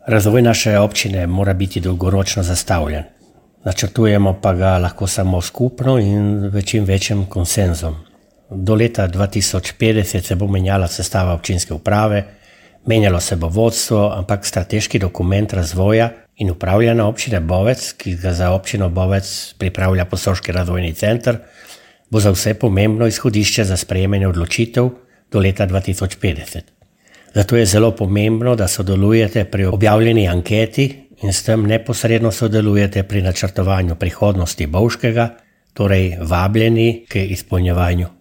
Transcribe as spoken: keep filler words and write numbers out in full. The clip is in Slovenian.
Razvoj naše občine mora biti dolgoročno zastavljen. Načrtujemo pa ga lahko samo skupno in v čim večjem konsenzom. Do leta dva tisoč petdeset se bo menjala sestava občinske uprave, menjalo se bo vodstvo, ampak strateški dokument razvoja in upravljanja občine Bovec, ki ga za občino Bovec pripravlja Posoški razvojni center, bo za vse pomembno izhodišče za sprejemanje odločitev do leta dva tisoč petdeset. Zato je zelo pomembno, da sodelujete pri objavljeni anketi in s tem neposredno sodelujete pri načrtovanju prihodnosti Bovškega, torej vabljeni k izpolnjevanju.